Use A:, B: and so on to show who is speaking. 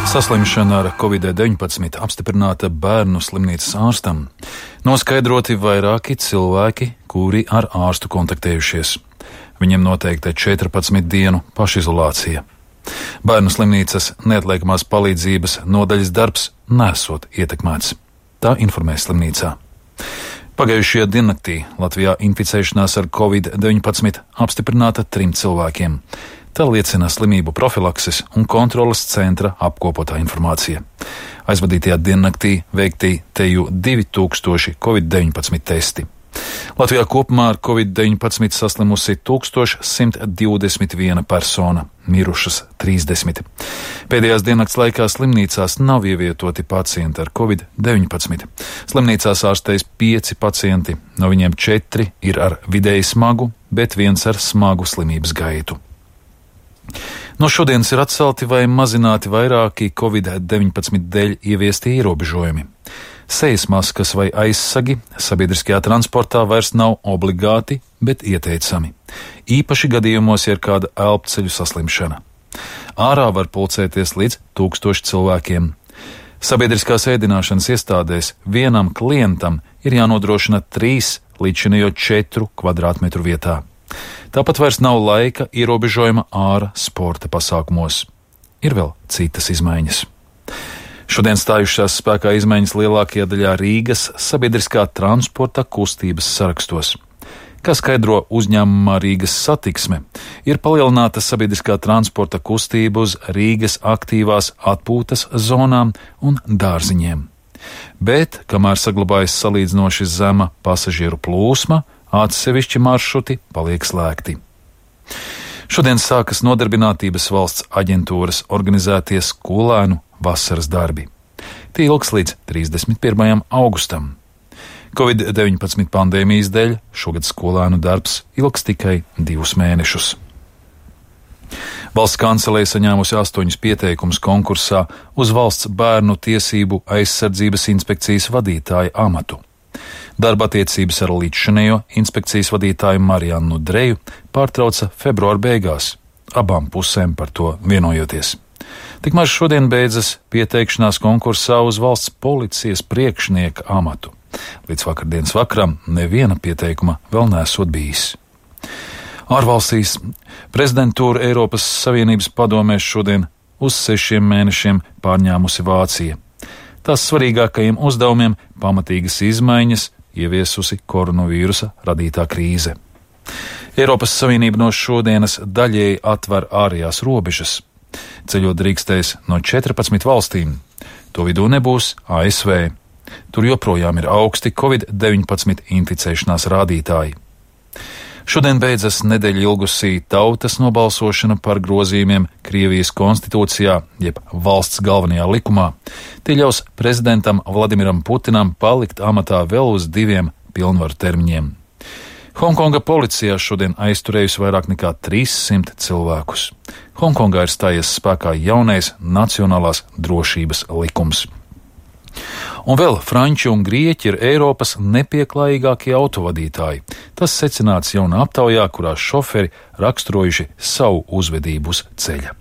A: Saslimšana ar Covid-19 apstiprināta bērnu slimnīcas ārstam. Noskaidroti vairāki cilvēki, kuri ar ārstu kontaktējušies. Viņiem noteikta 14 dienu pašizolācija. Bērnu slimnīcas neatliekamās palīdzības nodaļas darbs nesot ietekmēts. Tā informē slimnīcā. Pagājušajā diennaktī Latvijā inficēšanās ar Covid-19 apstiprināta 3 cilvēkiem. Tā liecina slimību profilakses un kontroles centra apkopotā informācija. Aizvadītajā diennaktī veikti teju 2000 Covid-19 testi. Latvijā kopumā ar Covid-19 saslimusi 1121 persona, mirušas 30. Pēdējās diennakts laikā slimnīcās nav ievietoti pacienti ar Covid-19. Slimnīcās ārstējas 5 pacienti, no viņiem 4 ir ar vidēji smagu, bet 1 ar smagu slimības gaitu. No šodienas ir atcelti vai mazināti vairāki Covid-19 dēļ ieviesti ierobežojumi. Sejas maskas vai aizsagi sabiedriskajā transportā vairs nav obligāti, bet ieteicami. Īpaši gadījumos, ja ir kāda elpceļu saslimšana. Ārā var pulcēties līdz 1000 cilvēkiem. Sabiedriskās ēdināšanas iestādēs vienam klientam ir jānodrošina 3 līdzinējo 4 kvadrātmetru vietā. Tāpat vairs nav laika ierobežojuma ārā sporta pasākumos. Ir vēl citas izmaiņas. Šodien stājušās spēkā izmaiņas lielākajā daļā Rīgas sabiedriskā transporta kustības sarakstos. Kā skaidro uzņēmumā Rīgas Satiksme, ir palielināta sabiedriskā transporta kustība uz Rīgas aktīvās atpūtas zonām un dārziņiem. Bet, kamēr saglabājas salīdzinoši zema pasažieru plūsma, atsevišķi maršruti paliek slēgti. Šodien sākas Nodarbinātības valsts aģentūras organizētie skolēnu vasaras darbi. Tie ilgs līdz 31. augustam. Covid-19 pandēmijas dēļ šogad skolēnu darbs ilgs tikai 2 mēnešus. Valsts kancelēja saņēmusi 8 pieteikumus konkursā uz valsts bērnu tiesību aizsardzības inspekcijas vadītāja amatu. Darba attiecības ar līdzšinējo inspekcijas vadītāju Mariannu Dreju pārtrauca februāra beigās, abām pusēm par to vienojoties. Tikmēr šodien beidzas pieteikšanās konkursā uz valsts policijas priekšnieka amatu. Līdz vakardienas vakaram neviena pieteikuma vēl nesot bijis. Ārvalstīs prezidentūru Eiropas Savienības padomēs šodien uz 6 mēnešiem pārņēmusi Vācija. Tās svarīgākajiem uzdevumiem pamatīgas izmaiņas ieviesusi koronavīrusa radītā krīze. Eiropas Savienība no šodienas daļēji atver ārējās robežas. Ceļot drīkstēs no 14 valstīm. To vidū nebūs ASV. Tur joprojām ir augsti Covid-19 inficēšanās rādītāji. Šodien beidzas nedēļu ilgusī tautas nobalsošana par grozījumiem Krievijas konstitūcijā, jeb valsts galvenajā likumā. Tie ļaus prezidentam Vladimiram Putinam palikt amatā vēl uz 2 pilnvaru termiņiem. Hongkonga policijā šodien aizturējusi vairāk nekā 300 cilvēkus. Hongkongā ir stājies spēkā jaunais nacionālās drošības likums. Un vēl franči un grieķi ir Eiropas nepieklājīgākie autovadītāji. Tas secināts jaunā aptaujā, kurā šoferi raksturojuši savu uzvedību uz ceļa.